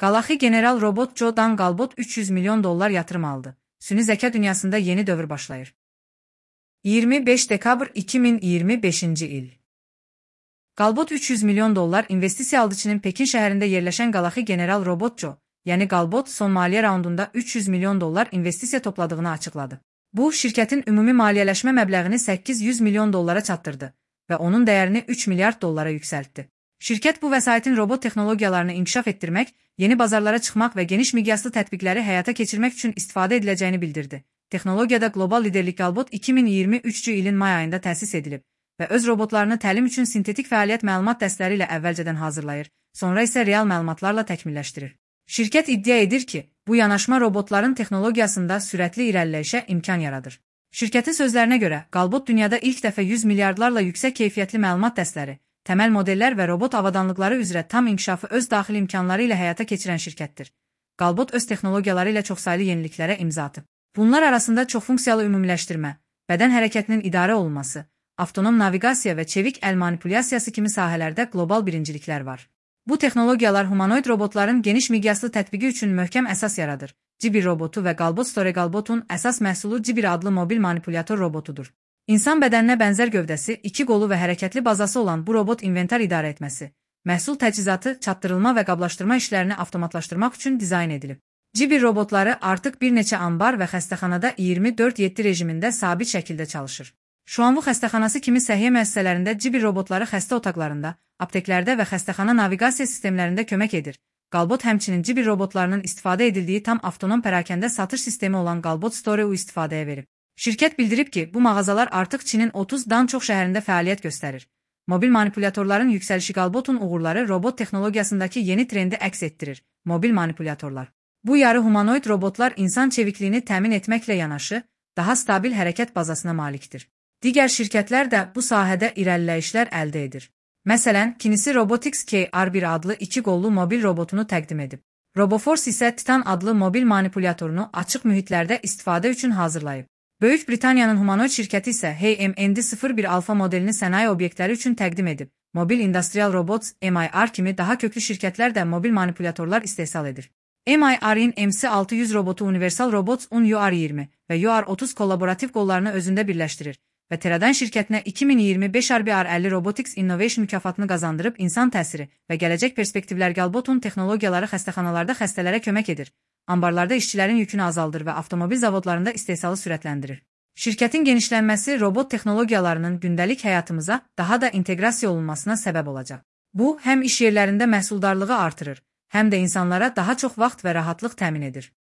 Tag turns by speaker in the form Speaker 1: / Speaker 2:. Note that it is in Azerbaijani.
Speaker 1: Galaxy General Robot Joe-dan Galbot $300 milyon yatırım aldı. Süni zeka dünyasında yeni dövr başlayır. 25 dekabr 2025 il. Galbot $300 milyon investisiya aldı. Çinin Pekin şəhərində yerləşən Galaxy General Robot Joe, yəni Galbot son maliyyə raundunda $300 milyon investisiya topladığını açıqladı. Bu, şirkətin ümumi maliyyələşmə məbləğini $800 milyon çatdırdı və onun dəyərini $3 milyard yüksəltdi. Şirkət bu vəsaitin robot texnologiyalarını inkişaf etdirmək, yeni bazarlara çıxmaq və geniş miqyaslı tətbiqləri həyata keçirmək üçün istifadə ediləcəyini bildirdi. Texnologiyada qlobal liderlik Galbot 2023 ilin may ayında təsis edilib və öz robotlarını təlim üçün sintetik fəaliyyət məlumat dəstləri ilə əvvəlcədən hazırlayır, sonra isə real məlumatlarla təkmilləşdirir. Şirkət iddia edir ki, bu yanaşma robotların texnologiyasında sürətli irəliləyişə imkan yaradır. Şirkətin sözlərinə görə, Galbot dünyada ilk dəfə 100 milyardlarla yüksək keyfiyyətli məlumat dəstləri, təməl modellər və robot avadanlıqları üzrə tam inkişafı öz daxili imkanları ilə həyata keçirən şirkətdir. Galbot öz texnologiyaları ilə çoxsaylı yeniliklərə imza atıb. Bunlar arasında çoxfunksiyalı ümumiləşdirmə, bədən hərəkətinin idarə olunması, avtonom naviqasiya və çevik əl manipulyasiyası kimi sahələrdə qlobal birinciliklər var. Bu texnologiyalar humanoid robotların geniş miqyaslı tətbiqi üçün möhkəm əsas yaradır. Jibir robotu və Galbot Store Galbotun əsas məhsulu Jibir adlı mobil manipulyator robotudur. İnsan bədəninə bənzər gövdəsi, 2 qolu və hərəkətli bazası olan bu robot inventar idarə etməsi, məhsul təchizatı, çatdırılma və qablaşdırma işlərini avtomatlaşdırmaq üçün dizayn edilib. Jibir robotları artıq bir neçə ambar və xəstəxanada 24/7 rejimində sabit şəkildə çalışır. Şuanvu xəstəxanası kimi səhiyyə müəssisələrində Jibir robotları xəstə otaqlarında, apteklərdə və xəstəxana naviqasiya sistemlərində kömək edir. Galbot həmçinin Jibir robotlarının istifadə edildiyi tam avtonom pərakəndə satış sistemi olan Galbot Store istifadəyə verib. Şirkət bildirib ki, bu mağazalar artıq Çinin 30-dan çox şəhərində fəaliyyət göstərir. Mobil manipulyatorların yüksəlişi Galbotun uğurları robot texnologiyasındakı yeni trendi əks etdirir. Mobil manipulyatorlar. Bu yarı humanoid robotlar insan çevikliyini təmin etməklə yanaşı, daha stabil hərəkət bazasına malikdir. Digər şirkətlər də bu sahədə irəliləyişlər əldə edir. Məsələn, Kinesis Robotics KR1 adlı 2 qollu mobil robotunu təqdim edib. Roboforce isə Titan adlı mobil manipulyatorunu açıq mühitlərdə istifadə üçün hazırlayıb. Böyük Britaniyanın humanoid şirkəti isə HMND01 alfa modelini sənaye obyektləri üçün təqdim edib. Mobil Industrial Robots MIR kimi daha köklü şirkətlər də mobil manipulyatorlar istehsal edir. MIR-in MC600 robotu Universal Robots UR20 və UR30 kollaborativ qollarını özündə birləşdirir və Teradyne şirkətinə 2025 RBR50 Robotics Innovation mükafatını qazandırıb insan təsiri və gələcək perspektivlər Galbotun texnologiyaları xəstəxanalarda xəstələrə kömək edir. Ambarlarda işçilərin yükünü azaldır və avtomobil zavodlarında istehsalı sürətləndirir. Şirkətin genişlənməsi robot texnologiyalarının gündəlik həyatımıza daha da inteqrasiya olunmasına səbəb olacaq. Bu, həm iş yerlərində məhsuldarlığı artırır, həm də insanlara daha çox vaxt və rahatlıq təmin edir.